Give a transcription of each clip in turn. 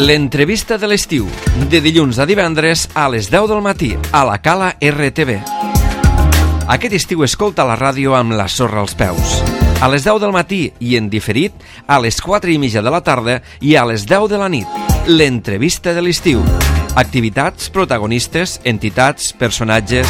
L'entrevista de l'estiu, de dilluns a divendres a les 10 del matí, a la Cala RTV. Aquest estiu escolta la ràdio amb la sorra als peus. A les 10 del matí i en diferit, a les 4:30 de la tarda i a les 10 de la nit. L'entrevista de l'estiu. Activitats, protagonistes, entitats, personatges...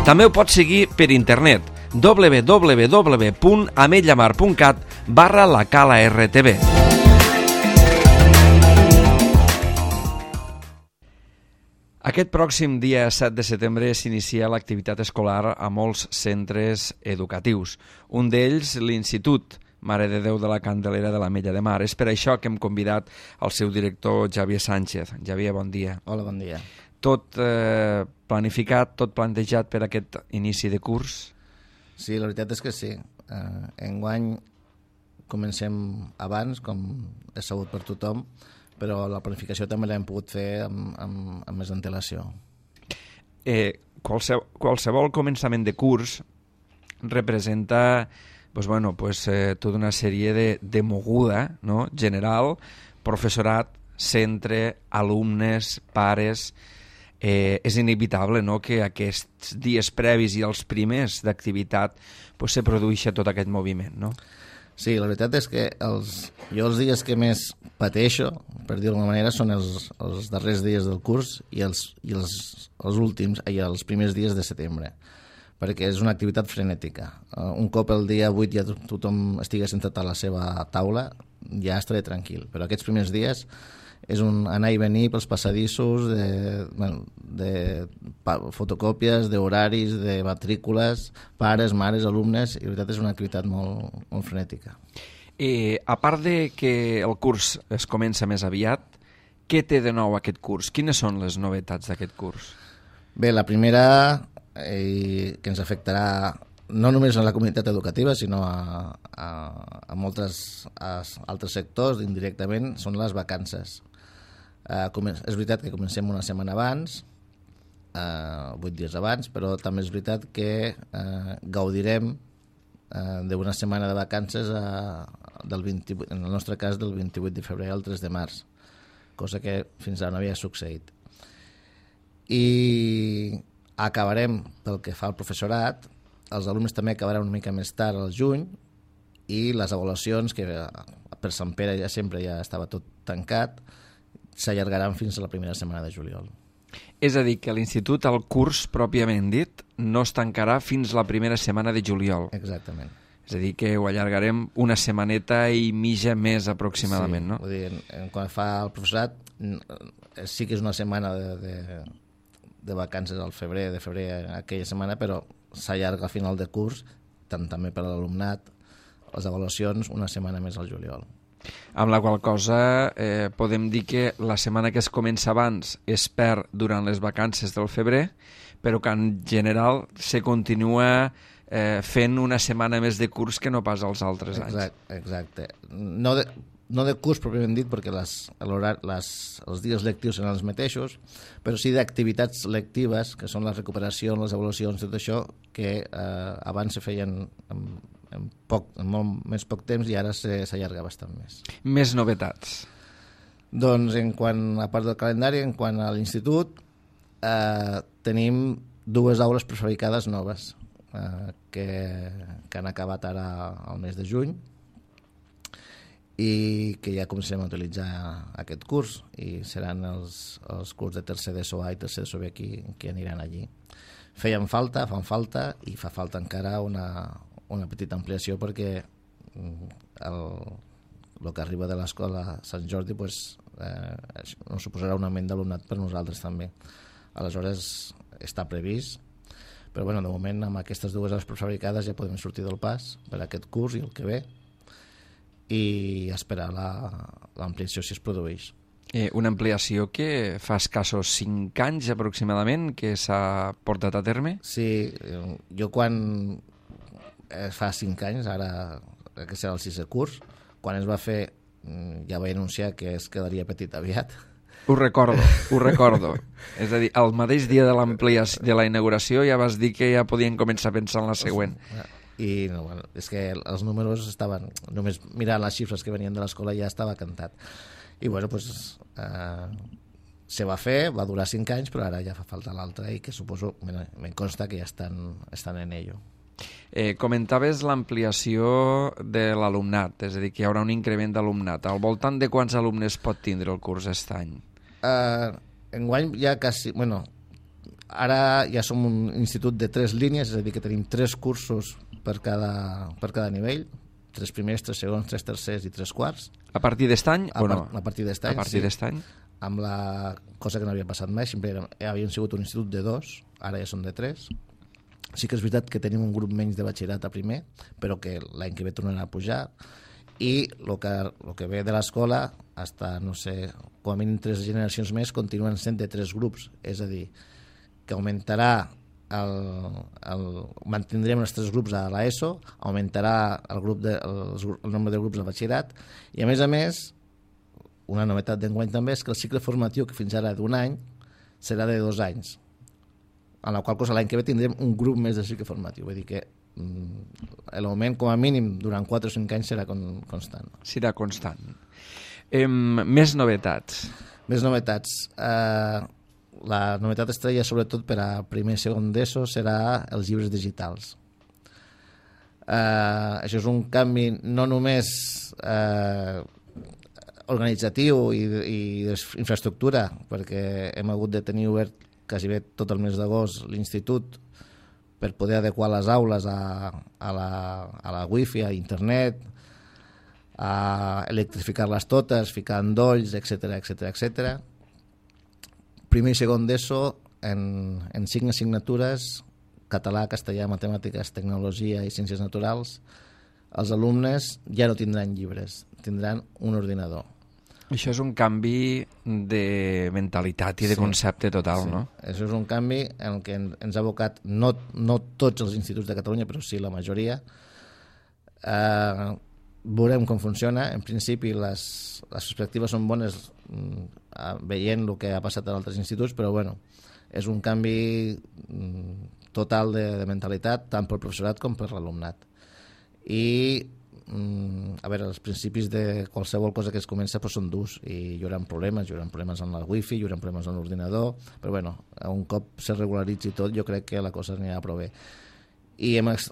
També ho pots seguir per internet www.ametlllamar.cat/lacala-rtv. Aquest pròxim dia 7 de setembre s'inicia l'activitat escolar a molts centres educatius. Un d'ells, l'Institut Mare de Déu de la Candelera de l'Ametlla de Mar. És per això que hem convidat el seu director, Xavier Sánchez. Xavier, bon dia. Hola, bon dia. Tot planificat, tot plantejat per aquest inici de curs? Sí, la veritat és que sí. Enguany comencem abans, com és sabut per tothom, però la planificació també l'hem pogut fer amb més antelació. Qualsevol començament de curs representa tota una sèrie de moguda, no? General, professorat, centre, alumnes, pares... és inevitable, no?, que aquests dies previs i els primers d'activitat se produeixi tot aquest moviment, no? Sí, la veritat és que jo els dies que més pateixo, per dir-ho d'alguna manera, són els darrers dies del curs i els primers dies de setembre, perquè és una activitat frenètica. Un cop el dia 8 ja tothom estigui sentat a la seva taula, ja estaré tranquil, però aquests primers dies és un anar i venir pels passadissos de fotocòpies, d'horaris, de matrícules, pares, mares, alumnes, i la veritat és una activitat molt, molt frenètica. A part de que el curs es comença més aviat, què té de nou aquest curs? Quines són les novetats d'aquest curs? Bé, la primera, que ens afectarà no només a la comunitat educativa, sinó a molts altres sectors indirectament, són les vacances. És veritat que comencem una setmana abans, 8 dies abans, però també és veritat que gaudirem d'una setmana de vacances en el nostre cas del 28 de febrer al 3 de març, cosa que fins ara no havia succeït. I acabarem, pel que fa al professorat, els alumnes també acabaran una mica més tard al juny, i les avaluacions, que per Sant Pere ja estava tot tancat, s'allargaran fins a la primera setmana de juliol. És a dir, que a l'institut el curs, pròpiament dit, no es tancarà fins la primera setmana de juliol. Exactament. És a dir, que ho allargarem una setmaneta i mitja més aproximadament, sí, no? Vull dir, quan fa el professorat, sí que és una setmana de vacances al febrer, aquella setmana, però s'allarga al final de curs, també per a l'alumnat, les avaluacions una setmana més al juliol. Amb la qual cosa podem dir que la setmana que es comença abans es perd durant les vacances del febrer, però que en general se continua fent una setmana més de curs que no pas els altres anys. Exacte. No de curs pròpiament dit, perquè els dies lectius seran els mateixos, però sí d'activitats lectives, que són la recuperació, les avaluacions, tot això, que abans se feien en molt més poc temps i ara s'allarga bastant més. Més novetats? Doncs, a part del calendari, en quant a l'institut, tenim 2 aules prefabricades noves que han acabat ara al mes de juny i que ja comencem a utilitzar aquest curs, i seran els curs de tercer d'ESO A i tercer d'ESO B que aniran allí. Fan falta i fa falta encara una petita ampliació, perquè el que arriba de l'escola Sant Jordi nos suposarà un augment d'alumnat per nosaltres també. Aleshores està previst, però de moment amb aquestes 2 aules prefabricades ja podem sortir del pas per aquest curs i el que ve, i esperar l'ampliació si es produeix. Una ampliació que fa escassos 5 anys aproximadament que s'ha portat a terme? Sí, jo quan fa 5 anys, ara que serà el 6è curs, quan es va fer ja vaig anunciar que es quedaria petit aviat. Ho recordo. És a dir, el mateix dia de la inauguració ja vas dir que ja podien començar a pensar en la següent. I no, bueno, és que els números estaven... Només mirant les xifres que venien de l'escola ja estava cantat. I bueno, pues, se va fer, va durar 5 anys, però ara ja fa falta l'altre i que suposo, me consta que ja estan en ello. Comentaves l'ampliació de l'alumnat, és a dir, que hi haurà un increment d'alumnat. Al voltant de quants alumnes pot tindre el curs aquest any? Enguany ja quasi... Bueno, ara ja som un institut de 3 línies, és a dir, que tenim 3 cursos per cada nivell, 3 primers, 3 segons, 3 tercers i 3 quarts. A partir d'est any o no? A partir d'est any, a partir d'est any? Amb la cosa que no havia passat mai, sempre havíem sigut un institut de 2, ara ja som de 3. Sí que és veritat que tenim un grup menys de batxillerat a primer, però que l'any que ve tornarà a pujar, i el que ve de l'escola, hasta, no sé, com a mínim 3 generacions més, continuen sent de 3 grups, és a dir, que augmentarà mantindrem els 3 grups a l'ESO, augmentarà el nombre de grups de batxillerat, i a més, una novetat d'enguany també és que el cicle formatiu, que fins ara d'un any, serà de 2 anys, en la qual cosa l'any que ve tindrem un grup més de cicle formatiu. Vull dir que l'augment, com a mínim, durant 4 o 5 anys serà constant. Serà constant. Més novetats. Més novetats. La novetat estrella, sobretot per a primer i segon d'ESO, serà els llibres digitals. Això és un canvi no només organitzatiu i d'infraestructura, perquè hem hagut de tenir obert quasi bé tot el mes d'agost l'institut per poder adequar les aules a la wifi, a internet, a electrificar-les totes, ficar endolls, etc. Primer i segon d'ESO, en 5 assignatures, català, castellà, matemàtiques, tecnologia i ciències naturals, els alumnes ja no tindran llibres, tindran un ordinador. Això és un canvi de mentalitat i de concepte total, no? Això és un canvi en què ens ha abocat no tots els instituts de Catalunya, però sí la majoria. Veurem com funciona. En principi les perspectives són bones veient el que ha passat en altres instituts, però bueno, és un canvi total de mentalitat tant pel professorat com per l'alumnat. I a veure, els principis de qualsevol cosa que es comença doncs són durs i hi haurà problemes en la wifi, hi haurà problemes en l'ordinador, però bueno, un cop se regularitzi tot jo crec que la cosa anirà prou bé. I doncs,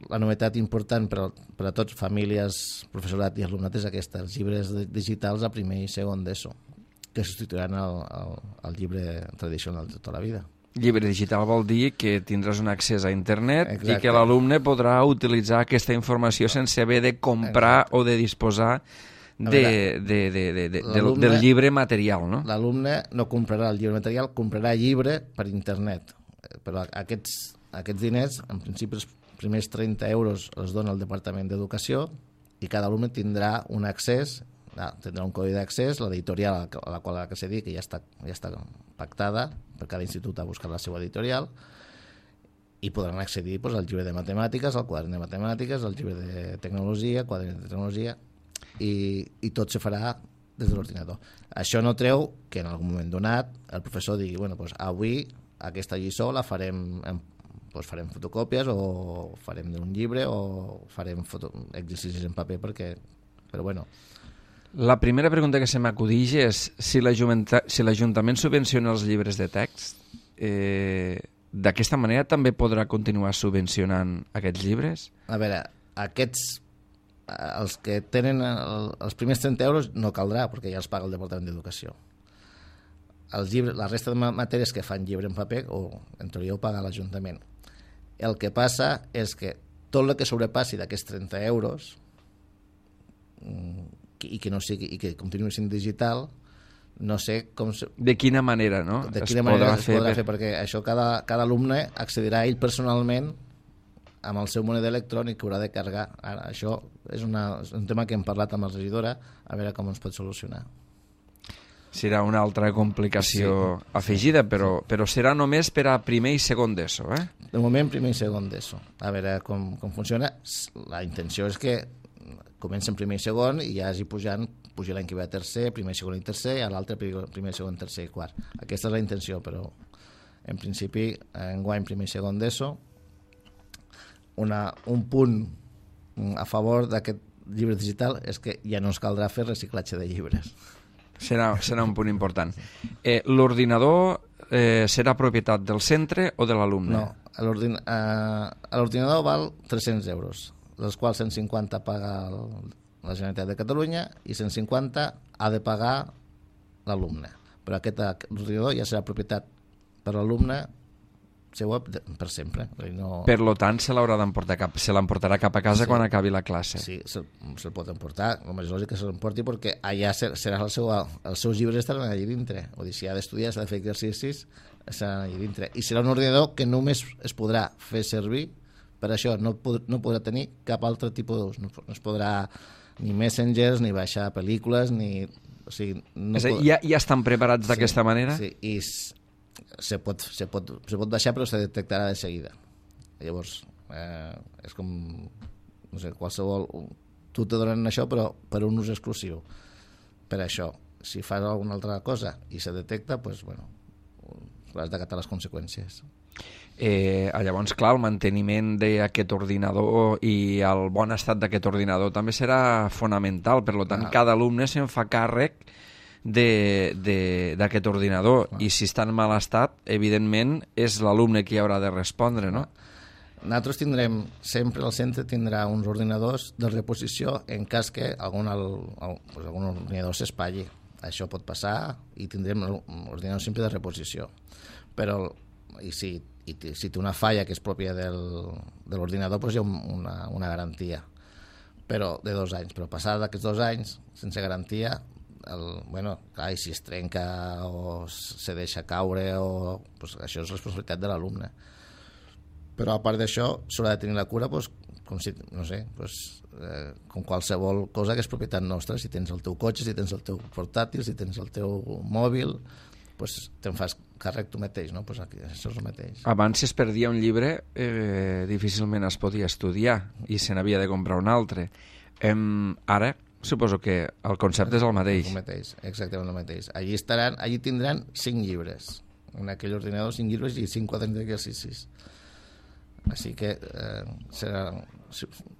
la novetat important per a tots, famílies, professorat i alumnat, és aquesta, els llibres digitals a primer i segon d'ESO, que substituiran el llibre tradicional de tota la vida. Llibre digital vol dir que tindràs un accés a internet. Exacte. I que l'alumne podrà utilitzar aquesta informació sense haver de comprar o de disposar del llibre material, no? L'alumne no comprarà el llibre material, comprarà llibre per internet. Però aquests diners, en principi, els primers 30 euros els dona el Departament d'Educació i cada alumne tindrà un accés, tindrà un codi d'accés, l'editorial a la qual ha d'accedir, que ja està pactada, per cada institut ha buscat la seva editorial, i podran accedir al llibre de matemàtiques, al quadern de matemàtiques, al llibre de tecnologia, quadern de tecnologia, i tot se farà des de l'ordinador. Això no treu que en algun moment donat el professor digui, bueno, doncs avui aquesta lliçó la farem farem fotocòpies o farem d'un llibre o farem exercicis en paper però bueno. La primera pregunta que se m'acudeix és si l'Ajuntament subvenciona els llibres de text, d'aquesta manera també podrà continuar subvencionant aquests llibres? A veure, els que tenen els primers 30 euros no caldrà, perquè ja els paga el Departament d'Educació. La resta de matèries que fan llibre en paper, en teoria ho paga l'Ajuntament. El que passa és que tot el que sobrepassi d'aquests 30 euros i que continuï sent digital, no sé com... De quina manera, no? De quina manera es podrà fer, perquè això cada alumne accedirà ell personalment amb el seu moneda electrònic que haurà de carregar. Ara, això és un tema que hem parlat amb la regidora, a veure com ens pot solucionar. Serà una altra complicació afegida, però serà només per a primer i segon d'ESO, eh? De moment, primer i segon d'ESO. A veure com funciona. La intenció és que comença en primer i segon i ja hagi pujar l'any que ve a tercer, primer, segon i tercer, i a l'altre primer, segon, tercer i quart. Aquesta és la intenció, però en principi enguany primer i segon d'ESO, un punt a favor d'aquest llibre digital és que ja no ens caldrà fer reciclatge de llibres. Serà un punt important. L'ordinador serà propietat del centre o de l'alumne? No, l'ordinador val 300 euros, dels quals 150 paga la Generalitat de Catalunya i 150 ha de pagar l'alumne. Però aquest ordinador ja serà propietat per l'alumne seua per sempre. No... Per lo tant, se l'emportarà cap a casa quan acabi la classe. Sí, se'l pot emportar. El més lògic que se l'emporti perquè allà serà els seus llibres estaran allà dintre. Vull dir, si ha d'estudiar, s'ha de fer exercicis, estaran allà dintre. I serà un ordinador que només es podrà fer servir per això. No podrà tenir cap altre tipus d'ús. No es podrà ni messengers, ni baixar pel·lícules, ni... O sigui, és a dir, ja estan preparats d'aquesta manera? Sí, i se pot baixar però se detectarà de seguida. Llavors és com no sé, qualsevol tu te donen això però per un ús exclusiu. Per això, si fas alguna altra cosa i se detecta, doncs, bueno, has d'acatar les conseqüències. Llavors, clar, el manteniment d'aquest ordinador i el bon estat d'aquest ordinador també serà fonamental, per tant, cada alumne se'n fa càrrec d'aquest ordinador i si està en mal estat, evidentment és l'alumne qui haurà de respondre, no? Nosaltres tindrem, sempre el centre tindrà uns ordinadors de reposició en cas que algun ordinador s'espatlli. Això pot passar i tindrem ordinadors sempre de reposició. Però si té una falla que és pròpia de l'ordinador, doncs hi ha una garantia, però de 2 anys. Però passada d'aquests 2 anys, sense garantia, clar, si es trenca o se deixa caure, doncs això és responsabilitat de l'alumne. Però a part d'això, s'haurà de tenir la cura com qualsevol cosa que és propietat nostra. Si tens el teu cotxe, si tens el teu portàtil, si tens el teu mòbil, doncs te'n fas càrrec tu mateix, no? Doncs aquí, això és el mateix. Abans, si es perdia un llibre, difícilment es podia estudiar i se n'havia de comprar un altre. Ara, suposo que el concepte és el mateix. El mateix, exactament el mateix. Allí tindran 5 llibres. En aquell ordinador 5 llibres i 5 quaderns d'exercicis. Així que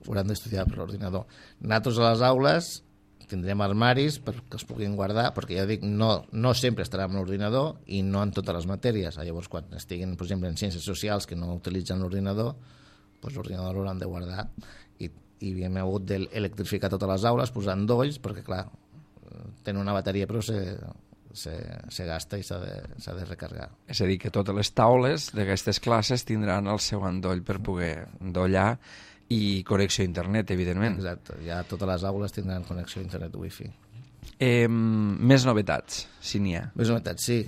hauran d'estudiar per l'ordinador. Nosaltres a les aules tindrem armaris perquè els puguin guardar, perquè ja dic, no sempre estarà en l'ordinador i no en totes les matèries. Llavors, quan estiguin, per exemple, en ciències socials que no utilitzen l'ordinador, doncs l'ordinador l'hauran de guardar i hem hagut d'electrificar totes les aules posant dolls, perquè clar, tenen una bateria però se gasta i s'ha de recarregar. És a dir, que totes les taules d'aquestes classes tindran el seu endoll per poder endollar i connexió a internet, evidentment. Exacte, ja totes les aules tindran connexió a internet wifi. Més novetats, si n'hi ha. Més novetats, sí.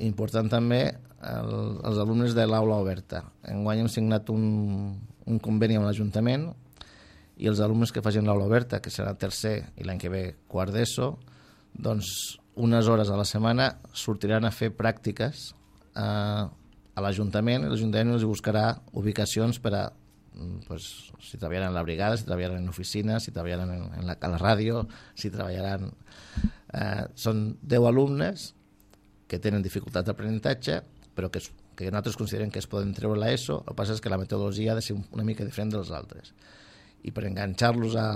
Important també els alumnes de l'aula oberta. Enguany hem signat un conveni amb l'Ajuntament i els alumnes que facin l'aula oberta, que serà tercer i l'any que ve quart d'ESO, doncs unes hores a la setmana sortiran a fer pràctiques a l'Ajuntament i l'Ajuntament els buscarà ubicacions per a si treballaran a la brigada, si treballaran en oficines, si treballaran a la ràdio, si treballaran... Són 10 alumnes que tenen dificultats d'aprenentatge, però que nosaltres considerem que es poden treure l'ESO. El que passa és que la metodologia ha de ser una mica diferent dels altres. I per enganxar-los a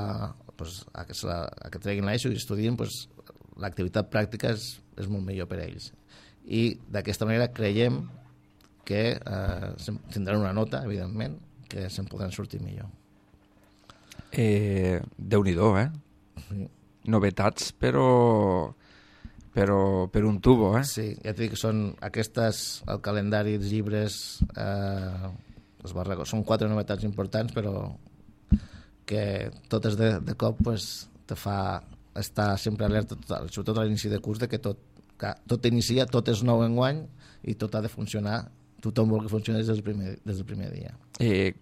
que treguin l'ESO i estudien, l'activitat pràctica és molt millor per a ells. I d'aquesta manera creiem que tindran una nota, evidentment, que se'n podran sortir millor. Déu-n'hi-do, Sí. Novetats, però per un tubo, Sí, ja et dic que són aquestes, el calendari, els llibres, són 4 novetats importants, però que totes de cop te fa estar sempre alerta, sobretot a l'inici de curs, de que tot inicia, tot és nou enguany i tot ha de funcionar, tothom vol que funcioni des del primer dia.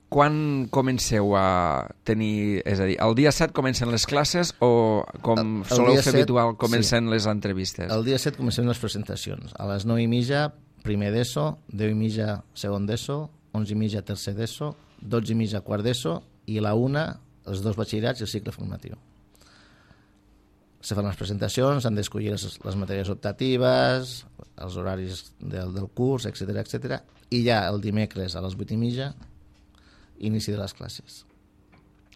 Quan comenceu a tenir... És a dir, el dia 7 comencen les classes o, com soleu fer habitual, comencen les entrevistes? El dia 7 comencen les presentacions. A les 9:30, primer d'ESO, 10:30, segon d'ESO, 11:30, tercer d'ESO, 12:30, quart d'ESO i a la 1, els 2 batxillerats i el cicle formatiu. Se fan les presentacions, s'han d'escollir les matèries optatives, els horaris del curs, etc. I ja el dimecres a les 8:30 inici de les classes.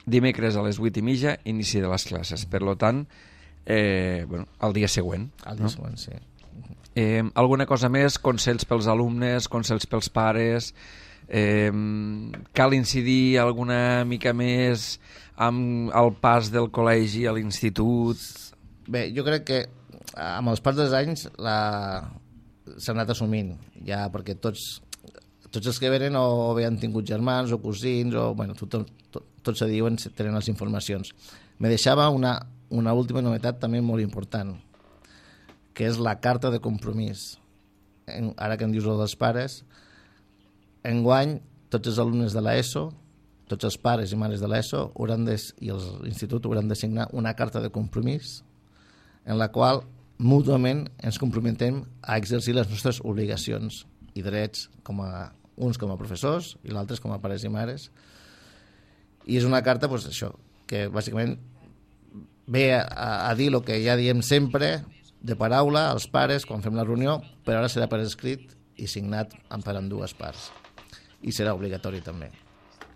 Dimecres a les 8:30, inici de les classes. Per tant, el dia següent. El dia següent, sí. Alguna cosa més? Consells pels alumnes, consells pels pares? Cal incidir alguna mica més amb el pas del col·legi a l'institut? Bé, jo crec que amb els pas dels anys s'ha anat assumint, ja, perquè tots els que venen o bé han tingut germans o cosins, o bueno, tots se diuen, tenen les informacions. Me deixava una última novetat també molt important, que és la carta de compromís. Ara que em dius el dels pares, enguany tots els alumnes de l'ESO, tots els pares i mares de l'ESO i l'institut hauran de signar una carta de compromís en la qual mútuament ens comprometem a exercir les nostres obligacions i drets, uns com a professors i l'altres com a pares i mares. I és una carta, doncs, això, que bàsicament ve a dir el que ja diem sempre, de paraula als pares quan fem la reunió, però ara serà per escrit i signat per ambdues parts. I serà obligatori també.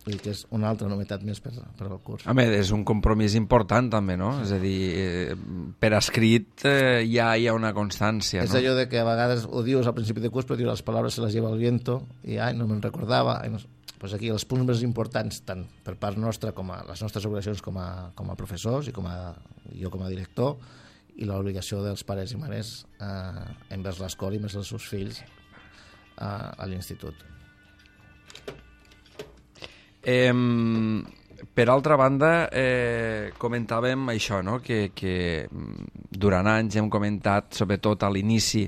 Vull dir que és una altra novetat més per al curs. Home, és un compromís important també, no? És a dir, per escrit ja hi ha una constància, no? És allò de que a vegades ho dius al principi de curs, però dius les paraules se les lleva el viento i no me'n recordava. Pues aquí els punts més importants, tant per part nostra com a les nostres obligacions com a professors i jo com a director, i l'obligació dels pares i mares envers l'escola i envers els seus fills a l'institut. Per altra banda, comentàvem això, no? que durant anys hem comentat, sobretot a l'inici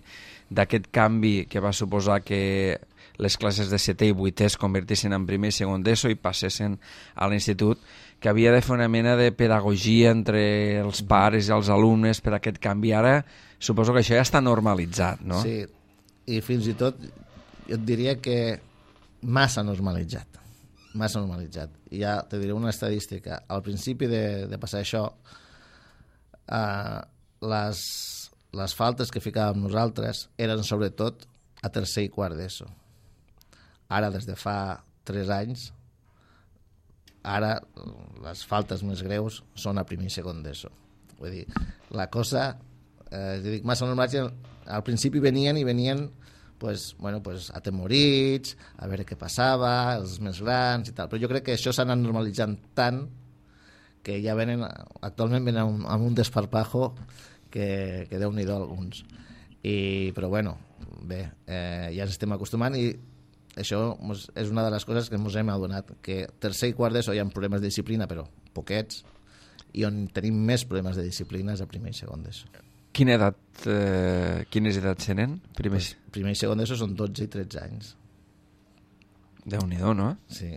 d'aquest canvi que va suposar que les classes de 7è i 8è es convertissin en primer i segon d'ESO i passessin a l'institut, que havia de fer una mena de pedagogia entre els pares i els alumnes per aquest canvi. Ara suposo que això ja està normalitzat, no? Sí, i fins i tot jo et diria que massa normalitzat. I ja te diré una estadística. Al principi de passar això, les faltes que ficàvem nosaltres eren sobretot a tercer i quart d'ESO. Ara, des de fa 3 anys, ara les faltes més greus són a primer i segon d'ESO. Vull dir, la cosa, dic, massa normalitzat, al principi venien atemorits, a veure què passava, els més grans i tal, però jo crec que això s'ha anat normalitzant tant que ja actualment venen amb un desparpajo que Déu-n'hi-do alguns. Però bueno, bé, ja ens estem acostumant i això és una de les coses que ens hem adonat, que tercer i quart d'ESO hi ha problemes de disciplina, però poquets, i on tenim més problemes de disciplina és a primer i segon d'ESO. Quines edats tenen? Primer i segon d'ESO són 12 i 13 anys. Déu-n'hi-do, no? Sí,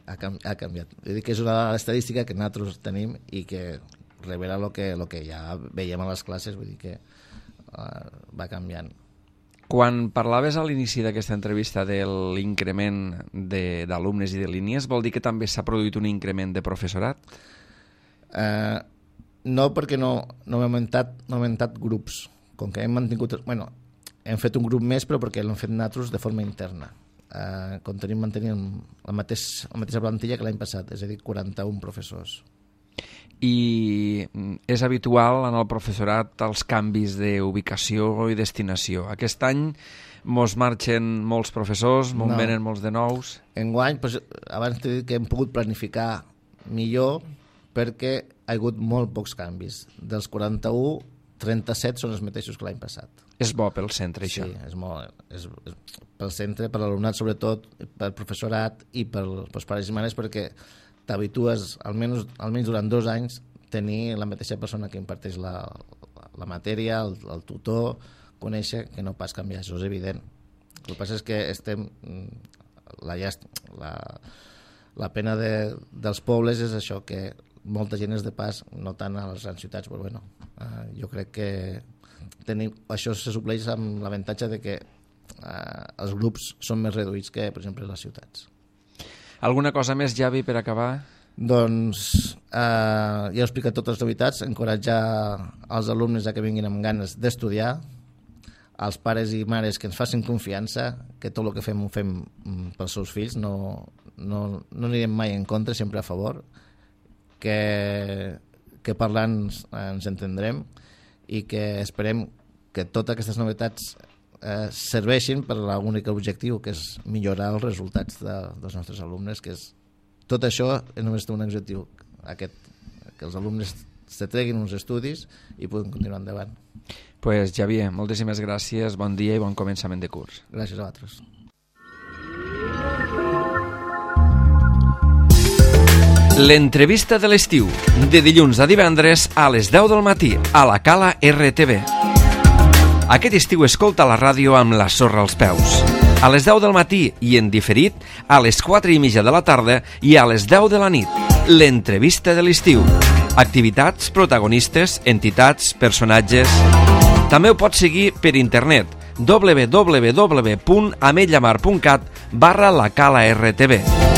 ha canviat. Vull dir que és una estadística que nosaltres tenim i que revela el que ja veiem a les classes, vull dir que va canviant. Quan parlaves a l'inici d'aquesta entrevista de l'increment d'alumnes i de línies, vol dir que també s'ha produït un increment de professorat? No, perquè no hem augmentat grups. Com que hem mantingut... hem fet un grup més, però perquè l'hem fet nosaltres de forma interna. Mantenim la mateixa plantilla que l'any passat, és a dir, 41 professors. I és habitual en el professorat els canvis d'ubicació i destinació. Aquest any mos marxen molts professors, venen molts de nous. Enguany, abans t'he dit que hem pogut planificar millor perquè ha hagut molt pocs canvis. Dels 41, 37 són els mateixos que l'any passat. És bo pel centre, això? Sí, és molt. És pel centre, per l'alumnat sobretot, pel professorat i pels pares i mares, perquè t'habitues, almenys durant 2 anys, tenir la mateixa persona que imparteix la matèria, el tutor, conèixer, que no pas canviar, això és evident. El que passa és que la pena dels pobles és això, que molta gent és de pas, no tant a les grans ciutats, però bueno, jo crec que això se supleix amb l'avantatge de que els grups són més reduïts que, per exemple, les ciutats. Alguna cosa més, Javi, per acabar? Doncs ja he explicat totes les novetats, encoratjar els alumnes a que vinguin amb ganes d'estudiar, als pares i mares que ens facin confiança, que tot el que fem ho fem pels seus fills, no no anirem mai en contra, sempre a favor, que parlant ens entendrem i que esperem que totes aquestes novetats serveixin per a l'únic objectiu, que és millorar els resultats dels nostres alumnes, que és tot això només té un objectiu, que els alumnes se treguin uns estudis i puguin continuar endavant. Pues Xavier, moltíssimes gràcies, bon dia i bon començament de curs. Gràcies a vosaltres. L'entrevista de l'estiu, de dilluns a divendres a les 10 del matí, a la Cala RTV. Aquest estiu escolta la ràdio amb la sorra als peus. A les 10 del matí i en diferit, a les 4:30 de la tarda i a les 10 de la nit. L'entrevista de l'estiu. Activitats, protagonistes, entitats, personatges... També ho pots seguir per internet www.ametlllamar.cat/la Cala RTV.